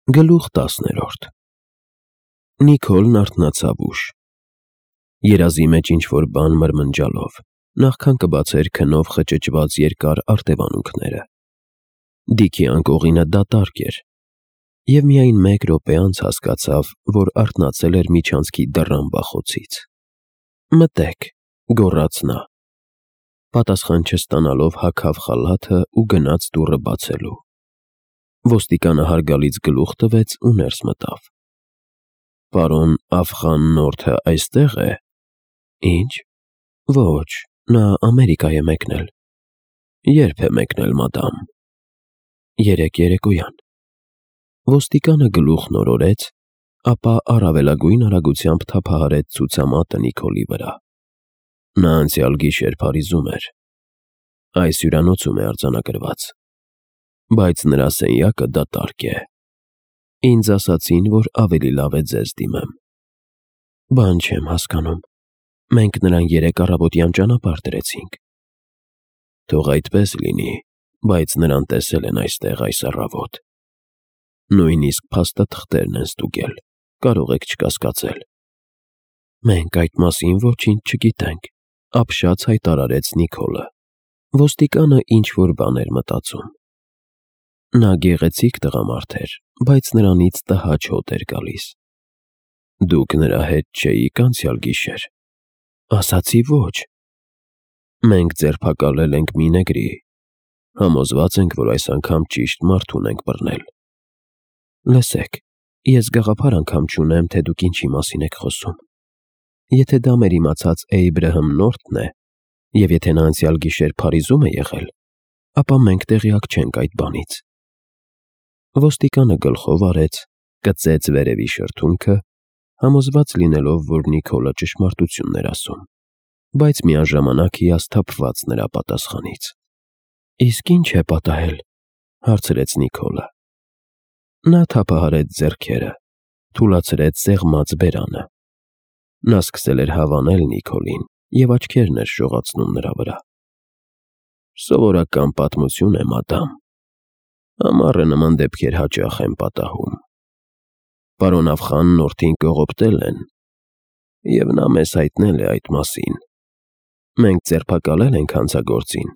Գլուխ 10 Նիկոլն արթնացավ ուշ, երազի մեջ ինչ-որ բան մրմնջալով, նախքան կբացեր քնով խճճված երկար արտևանունքները։ Դիքի անկողինը դատարկ էր, և միայն մեկ րոպե անց հասկացավ, որ արթնացել էր միջանցքի դռան բախոցից։ «Մտե՛ք», գոռաց նա։ Պատասխան չստանալով հագավ խալաթը ու գնաց դուռը բացելու։ Ոստիկանը հարգալից գլուխ տվեց ու ներս մտավ։ «Պարոն Աֆղան-Նորթը այստե՞ղ է»։ «Ինչ»։ «Ոչ, նա Ամերիկա է մեկնել»։ «Ե՞րբ է մեկնել, մադամ»։ «Երեկ երեկոյան»։ Ոստիկանը գլուխն օրորեց, ապա առավելագույն արագությամբ թափահարեց ցուցամատը Նիկոլի վրա։ Նա անցյալ գիշեր Փարիզում էր։ Այս հյուրանոցում է արձանագրված, բայց նրա սենյակը դատարկ է։ Ինձ ասացին, որ ավելի լավ է ձեզ դիմեմ։ Բան չեմ հասկանում, մենք նրան երեկ առավոտյան ճանապարհ դրեցինք։ Թող այդպես լինի, բայց նրան տեսել են այստեղ այս առավոտ։ Նույնիսկ փաստաթղթերն են ստուգել, կարող եք չկասկածել։ Մենք այդ մասին ոչինչ չգիտենք, ապշած հայտարարեց Նիկոլը։ Ոստիկանը ինչ-որ բան էր մտածում։ Նա գեղեցիկ տղամարդ էր, բայց նրանից տհաճ հոտ էր գալիս։ Դուք նրա հետ չէիք անցյալ գիշեր։ Ասացի ոչ։ Մենք ձերբակալել ենք մի նեգրի։ Համոզված ենք, որ այս անգամ ճիշտ մարդուն ենք բռնել։ Լսեք, ես գաղափար անգամ չունեմ, թե դուք ինչի մասին եք խոսում։ Եթե դա մեր իմացած Էյբրահամ Նորթն է, և եթե նա անցյալ գիշեր Փարիզում է եղել, ապա մենք տեղյակ չենք այդ բանից։ Ոստիկանը գլխով արեց, կծեց վերևի շրթունքը, համոզված լինելով, որ Նիկոլը ճշմարտությունն էր ասում, բայց միաժամանակ հիասթափված նրա պատասխանից։ Իսկ ի՞նչ է պատահել, հարցրեց Նիկոլը։ Նա թափահարեց ձեռքերը, թուլացրեց սեղմած բերանը։ Նա սկսել էր հավանել Նիկոլին և աչքերն էր շողացնում նրա վրա։ Սովորական պատմություն է, մադամ։ Ամառը նման դեպքեր հաճախ են պատահում։ Պարոն Աֆղան-Նորթին կողոպտել են, և նա մեզ հայտնել է այդ մասին։ Մենք ձերբակալել ենք հանցագործին,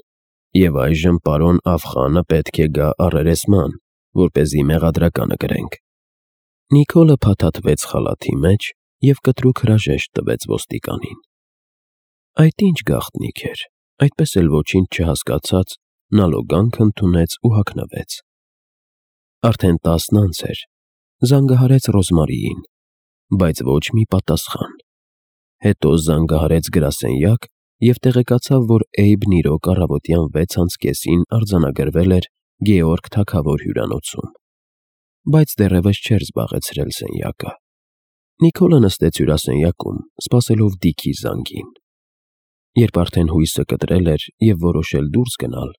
և այժմ պարոն Աֆղանը պետք է գա առերեսման, որպեսզի մեղադրականը կրենք։ Նիկոլը փաթաթվեց խալաթի մեջ և կտրուկ հրաժեշտ տվեց ոստիկանին։ Այդ ինչ գաղտնիք էր, այդպես էլ ոչինչ չհասկացած, նա լոգանք ընդունեց ու հագնվեց։ Արդեն 10 անց էր, զանգահարեց Ռոզմարիին, բայց ոչ մի պատասխան։ Հետո զանգահարեց գրասենյակ և տեղեկացավ, որ Էյբն իրոք առավոտյան 6:30-ին արձանագրվել էր Գեորգ թագավոր հյուրանոցում, բայց դեռևս չէր զբաղեցրել սենյակը։ Նիկոլը նստեց հյուրասենյակում, սպասելով Դիքի զանգին։ Երբ արդեն հույսը կտրել էր և որոշել դուրս գնալ,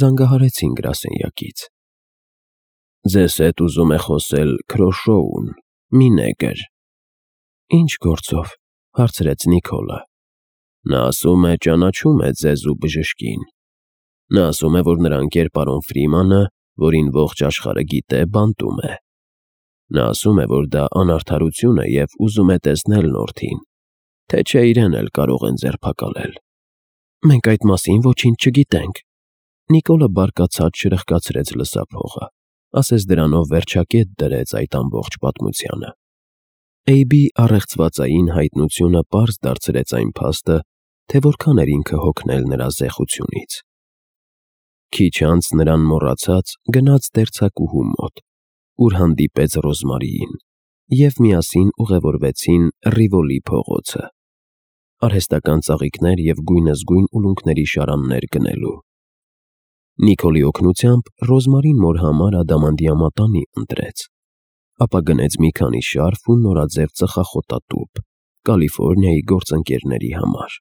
զանգահարեցին գրասենյակից։ Ձեզ հետ ուզում է խոսել Քրոշոուն, մի նեգր։ Ինչ գործով, հարցրեց Նիկոլը։ Նա ասում է ճանաչում է ձեզ ու բժշկին։ Նա ասում է, որ նրա ընկեր պարոն Ֆրիմանը, որին ողջ աշխարհը գիտե, բանտում է։ Նա ասում է, որ դա անարդարություն է և ուզում է տեսնել Նորթին, թե չէ իրեն էլ կարող են ձերբակալել։ Մենք այդ մասին ոչինչ չգիտենք։ Նիկոլը բարկացած շրխկացրեց լսափողը, ասես դրանով վերջակետ դրեց այդ ամբողջ պատմությանը։ Էյբի առեղծվածային հայտնությունը պարզ դարձրեց այն փաստը, թե որքան էր ինքը հոգնել նրա զեխությունից։ Քիչ անց նրան մոռացած գնաց դերձակուհու մոտ, ուր հանդիպեց Ռոզմարիին, և միասին ուղևորվեցին Ռիվոլի փողոցը, արհեստական ծաղիկներ և գույնզգույն ուլունքների շարաններ գնելու։ Նիկոլի օգնությամբ Ռոզմարին մոր համար ադամանդյա ընտրեց, ապա գնեց մի քանի շարֆ ու նորաձև ծխախոտատուփ Կալիֆոռնիայի գործընկերների համար։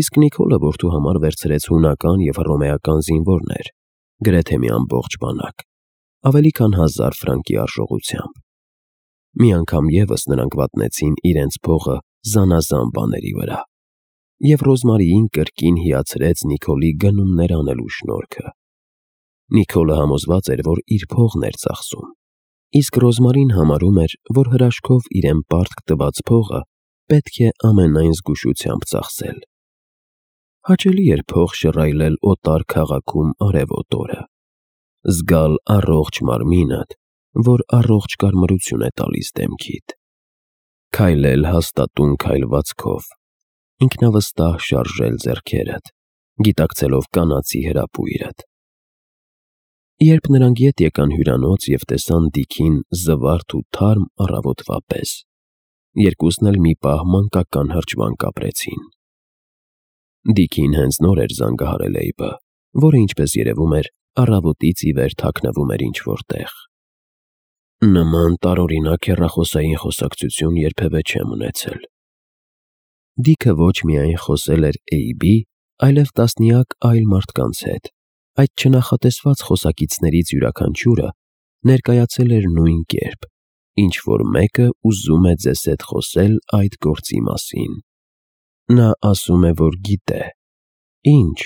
Իսկ Նիկոլը որդու համար վերցրեց հունական և հռոմեական զինվորներ, գրեթե մի ամբողջ բանակ, ավելի քան 1000 ֆրանկի արժողությամբ։ Մի անգամ ևս նրանք վատնեցին իրենց փողը զանազան բաների վրա, և Ռոզմարիին կրկին հիացրեց Նիկոլի գնումներ անելու շնորհքը։ Նիկոլը համոզված էր, որ իր փողն էր ծախսում, Իսկ Ռոզմարին համարում էր, որ հրաշքով իրեն պարտք տված փողը պետք է ամենայն զգուշությամբ ծախսել։ Հաճելի էր փող շռայլել օտար քաղաքում արևոտ օրը, զգալ առողջ մարմինդ, որ առողջ կարմրություն է տալիս դեմքիդ, քայլել հաստատուն քայլվածքով, ինքնավստահ շարժել ձեռքերդ, գիտակցելով կանացի հրապույրդ։ Երբ նրանք ետ եկան հյուրանոց և տեսան Դիքին զվարթ ու թարմ առավոտվա պես, երկուսն էլ մի պահ մանկական հրճվանք ապրեցին։ Դիքին հենց նոր էր զանգահարել Էյբը, որը, ինչպես երևում էր, առավոտից ի վեր թաքնվում էր ինչ-որ տեղ։ Նման տարօրինակ հեռախոսային խոսակցություն երբևէ չեմ ունեցել։ Դիքը ոչ միայն խոսել էր Էյբի, այլև տասնյակ այլ մարդկանց հետ, այդ չնախատեսված խոսակիցներից յուրաքանչյուրը ներկայացել էր նույն կերպ, ինչ-որ մեկը ուզում է ձեզ հետ խոսել այդ գործի մասին։ Նա ասում է, որ գիտե։ Ինչ։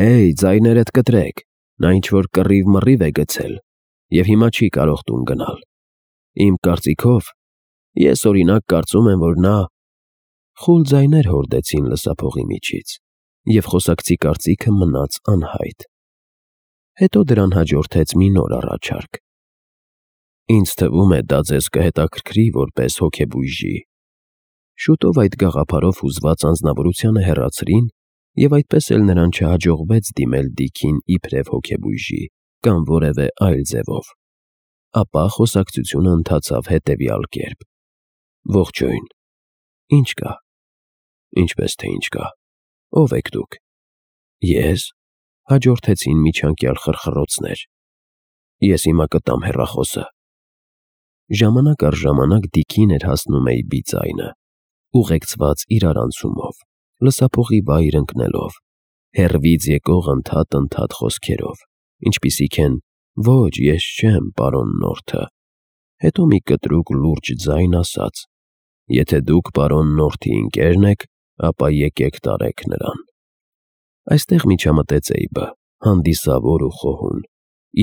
Էյ, ձայներդ կտրեք, նա ինչ-որ կռիվ-մռիվ է գցել և հիմա չի կարող տուն գնալ։ Իմ կարծիքով, ես օրինակ կարծում եմ, որ նա… Խուլ ձայներ հորդեցին լսափողի միջից, և խոսակցի կարծիքը մնաց անհայտ։ Հետո դրան հաջորդեց մի նոր առաջարկ. Ինձ թվում է, դա ձեզ կհետաքրքրի որպես հոգեբույժի։ Շուտով այդ գաղափարով հուզված անձնավորությանը հեռացրին, և այդպես էլ նրան չհաջողվեց դիմել Դիքին իբրև հոգեբույժի կամ որևէ այլ ձևով։ Ապա խոսակցությունը ընթացավ հետևյալ կերպ. Ողջույն։ Ինչ կա։ Ինչպես թե ինչ կա։ Ո՞վ եք դուք։ Ես։ Հաջորդեցին միջանկյալ խրխռոցներ։ Ես հիմա կտամ հեռախոսը։ Ժամանակ առ ժամանակ Դիքին էր հասնում Էյբի ձայնը, ուղեկցված իրարանցումով, լսափողի վայր ընկնելով, հեռվից եկող ընդհատ խոսքերով, ինչպիսիք են. «Ոչ, ես չեմ, պարոն Նորթը», հետո մի կտրուկ լուրջ ձայն ասաց. «Եթե դուք պարոն Նորթի ընկերն եք, ապա եկեք տարեք նրան»։ Այստեղ միջամտեց Էյբը, հանդիսավոր ու խոհուն,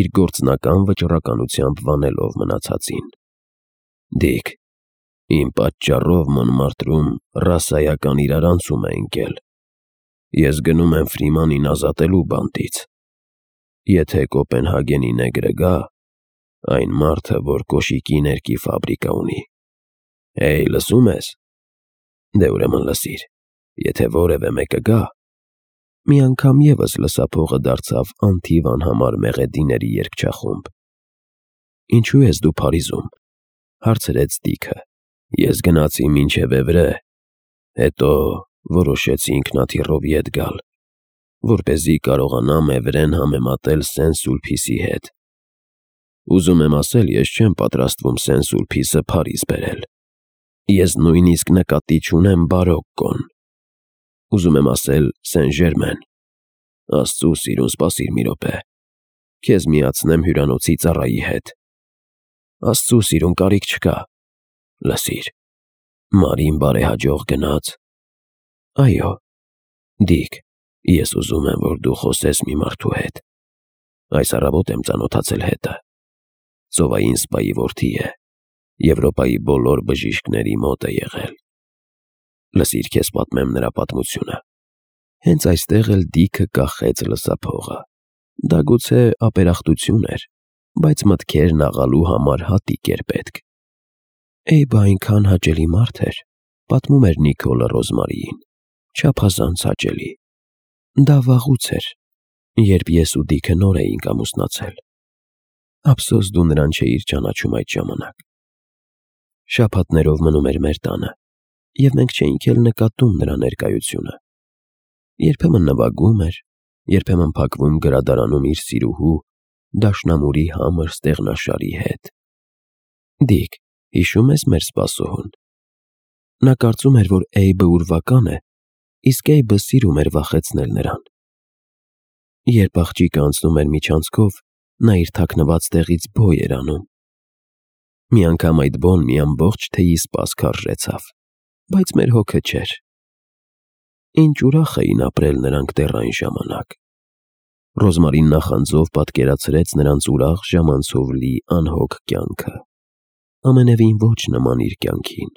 իր գործնական վճռականությամբ վանելով մնացածին։ Դիք, իմ պատճառով Մոնմարտրում ռասայական իրարանցում է ընկել։ Ես գնում եմ Ֆրիմանին ազատելու բանտից։ Եթե Կոպենհագենի նեգրը գա, այն մարդը, որ կոշիկի ներկի ֆաբրիկա ունի։ Էյ, լսում ես։ Դե ուրեմն լսիր, եթե որևէ մեկը գա… Մի անգամ ևս լսափողը դարձավ անթիվ անհամար մեղեդիների երգչախումբ։ Ինչու ես դու Փարիզում, հարցրեց Դիքը։ Ես գնացի մինչև Էվրե, հետո որոշեցի ինքնաթիռով ետ գալ, որպեսզի կարողանամ Էվրեն համեմատել Սեն-Սուլպիսի հետ։ Ուզում եմ ասել, ես չեմ պատրաստվում Սեն-Սուլպիսը Փարիզ բերել։ Ես նույնիսկ նկատի չունեմ Բարոկկոն։ Ուզում եմ ասել Սեն-Ժերմեն։ Աստծու սիրուն, սպասիր մի րոպե։ Քեզ միացնեմ հյուրանոցի ծառայի հետ։ Աստծու սիրուն, կարիք չկա։ Լսիր, Մարին բարեհաջող գնաց։ Այո։ Դիք, ես ուզում եմ, որ դու խոսես մի մարդու հետ։ Այս առավոտ եմ ծանոթացել հետը։ Ծովային սպայի որդի է։ Եվրոպայի բոլոր բժիշկների մոտ է եղել։ Լսիր, քեզ պատմեմ նրա պատմությունը։ Հենց այստեղ էլ Դիքը կախեց լսափողը։ Դա գուցե ապերախտություն էր, բայց մտքերն աղալու համար հատիկ էր պետք։ Էյբը այնքան հաճելի մարդ էր, պատմում էր Նիկոլը Ռոզմարիին, չափազանց հաճելի։ Դա վաղուց էր, երբ ես ու Դիքը նոր էինք ամուսնացել։ Ափսոս դու նրան չէիր ճանաչում այդ ժամանակ։ Շաբաթներով մնում էր մեր տանը, և մենք չէինք էլ նկատում նրա ներկայությունը։ Երբեմն նվագում էր, երբեմն փակվում գրադարանում իր սիրուհու՝ դաշնամուրի համր ստեղնաշարի հետ։ Դիք, հիշո՞ւմ ես մեր սպասողուն։ Նա կարծում էր, որ Էյբը ուրվական է, իսկ Էյբը սիրում էր վախեցնել նրան։ Երբ աղջիկը անցնում էր միջանցքով, նա իր թաքնված տեղից բոյ էր անում։ Մի անգամ այդ բոն մի ամբողջ թեյի սպաս քարշեցավ, բայց մեր հոգը չէր։ Ինչ ուրախ էին ապրել նրանք դեռ այն ժամանակ։ Ռոզմարին նախանձով պատկերացրեց նրանց ուրախ ժամանցով լի անհոգ կյանքը, ամենևին ոչ նման իր կյանքին։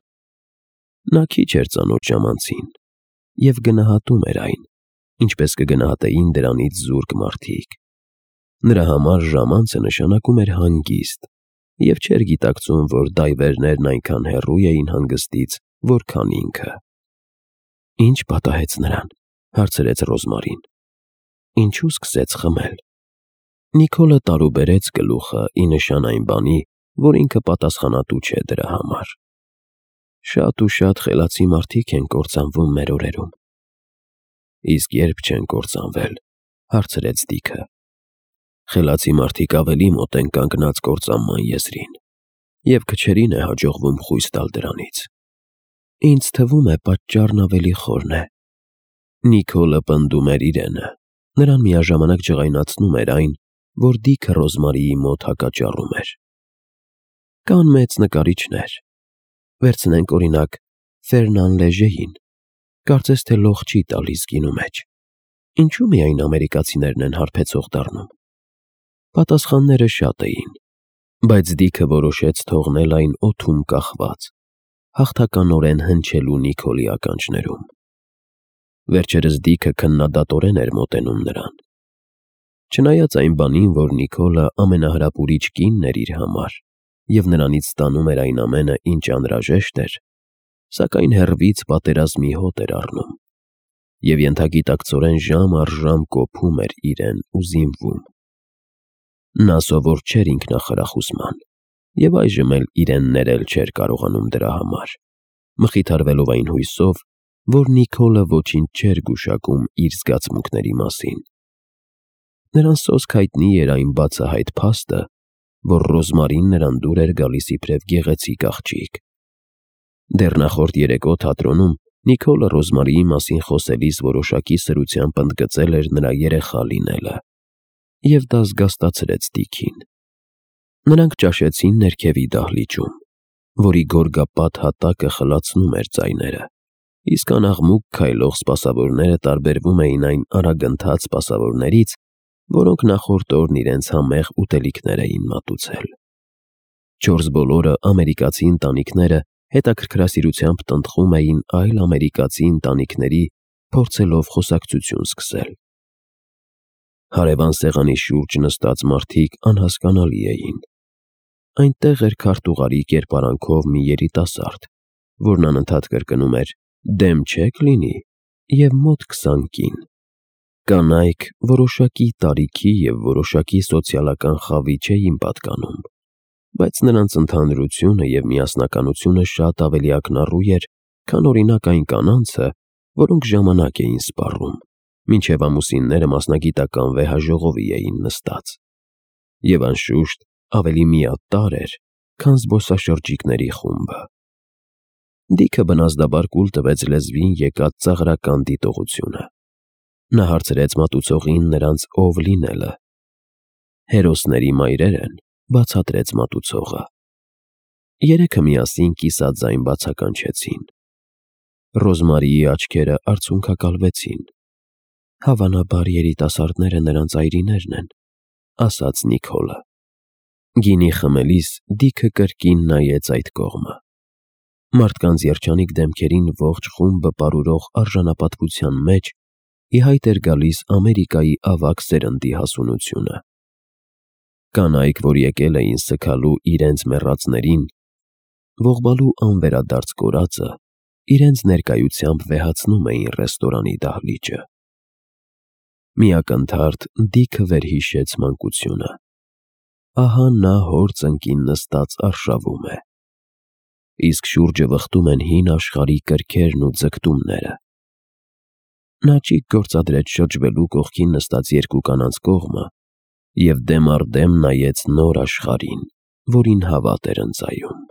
Նա քիչ էր ծանոթ ժամանցին և գնահատում էր այն, ինչպես կգնահատեին դրանից զուրկ մարդիկ։ Նրա համար ժամանցը նշանակում էր հանգիստ և չէր գիտակցում, որ դայվերներն այնքան հեռու էին հանգստից, որքան ինքը։ Ինչ պատահեց նրան, հարցրեց Ռոզմարին։ Ինչու սկսեց խմել։ Նիկոլը տարուբերեց գլուխը ի նշան այն բանի, որ ինքը պատասխանատու չէ դրա համար։ Շատ ու շատ խելացի մարդիկ են կործանվում մեր օրերում։ Իսկ երբ չեն կործանվել, հարցրեց Դիքը։ Խելացի մարդիկ ավելի մոտ են կանգնած կործանման եզրին, և քչերին է հաջողվում խույս տալ դրանից։ Ինձ թվում է պատճառն ավելի խորն է։ Նիկոլը պնդում էր իրենը, նրան միաժամանակ ջղայնացնում էր այն, որ Դիքը Ռոզմարիի մոտ հակաճառում էր։ Կան մեծ նկարիչներ։ Վերցնենք օրինակ Ֆերնան Լեժեին, կարծես թե լող չի տալիս գինու մեջ։ Ինչու միայն ամերիկացիներն են հարբեցող դառնում։ Պատասխանները շատ էին, բայց Դիքը որոշեց թողնել այն օդում կախված, հաղթականորեն հնչելու Նիկոլի ականջներում։ Վերջերս Դիքը քննադատորեն էր մոտենում նրան։ Չնայած այն բանին, որ Նիկոլը ամենահրապուրիչ կինն էր իր համար և նրանից ստանում էր այն ամենը, ինչ անհրաժեշտ էր, սակայն հեռվից պատերազմի հոտ էր առնում և ենթագիտակցորեն ժամ առ ժամ կոփում էր իրեն ու զինվում։ Նա սովոր չէր ինքնախրախուսման և այժմ էլ իրեն ներել չէր կարողանում դրա համար, մխիթարվելով այն հույսով, որ Նիկոլը ոչինչ չէր գուշակում իր զգացմունքների մասին։ Նրան սոսկ հայտնի էր այն բացահայտ փաստը, որ Ռոզմարին նրան դուր էր գալիս իբրև գեղեցիկ աղջիկ։ Դեռ նախորդ երեկո թատրոնում Նիկոլը Ռոզմարիի մասին խոսելիս որոշակի սրությամբ ընդգծել էր նրա երեխա լինելը, և դա զգաստացրեց Դիքին։ Նրանք ճաշեցին ներքևի դահլիճում, որի գորգապատ հատակը խլացնում էր ձայները, իսկ անաղմուկ քայլող սպասավորները տարբերվում էին այն արագընթաց սպասավորներից, որոնք նախորդ օրն իրենց համեղ ուտելիքներ էին մատուցել։ Չորս բոլորը ամերիկացի ընտանիքները հետաքրքրասիրությամբ տնտղում էին այլ ամերիկացի ընտանիքների, փորձելով խոսակցություն սկսել։ Հարևան սեղանի շուրջ նստած մարդիկ անհասկանալի էին։ Այնտեղ էր քարտուղարի կերպարանքով մի երիտասարդ, որն անընդհատ կրկնում էր «Դեմ չեք լինի» և մոտ 20 կին։ Կանայք որոշակի տարիքի և որոշակի սոցիալական խավի չէին պատկանում, բայց նրանց ընդհանրությունը և միասնականությունը շատ ավելի ակնառու էր, քան օրինակ այն կանանցը, որոնք ժամանակ էին սպառում, մինչև ամուսինները մասնագիտական վեհաժողովի էին նստած, և անշուշտ ավելի միատարր էր, քան զբոսաշրջիկների խումբը։ Դիքը բնազդաբար կուլ տվեց լեզվին եկած ծաղրական դիտողությունը։ Նա հարցրեց մատուցողին նրանց ով լինելը։ Հերոսների մայրեր են, բացատրեց մատուցողը։ Երեքը միասին կիսաձայն բացականչեցին։ Ռոզմարիի աչքերը արցունքակալվեցին։ Հավանաբար երիտասարդները նրանց այրիներն են, ասաց Նիկոլը։ Գինի խմելիս Դիքը կրկին նայեց այդ կողմը։ Մարդկանց երջանիկ դեմքերին ողջ խումբը պարուրող արժանապատվության մեջ ի հայտ էր գալիս Ամերիկայի ավագ սերնդի հասունությունը։ Կանայք, որ եկել էին սգալու իրենց մեռածներին, ողբալու անվերադարձ կորածը, իրենց ներկայությամբ վեհացնում էին ռեստորանի դահլիճը։ Մի ակնթարթ Դիքը վերհիշեց մանկությունը։ Ահա նա հոր ծնկին նստած արշավում է, իսկ շուրջը վխտում են հին աշխարհի կրքերն ու ձգտումները։ Նա ճիգ գործադրեց շրջվելու կողքին նստած երկու կանանց կողմը և դեմ առ դեմ նայեց նոր աշխարհին, որին հավատ էր ընծայում։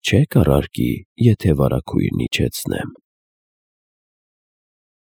Չե՞ք առարկի, եթե վարագույրն իջեցնեմ։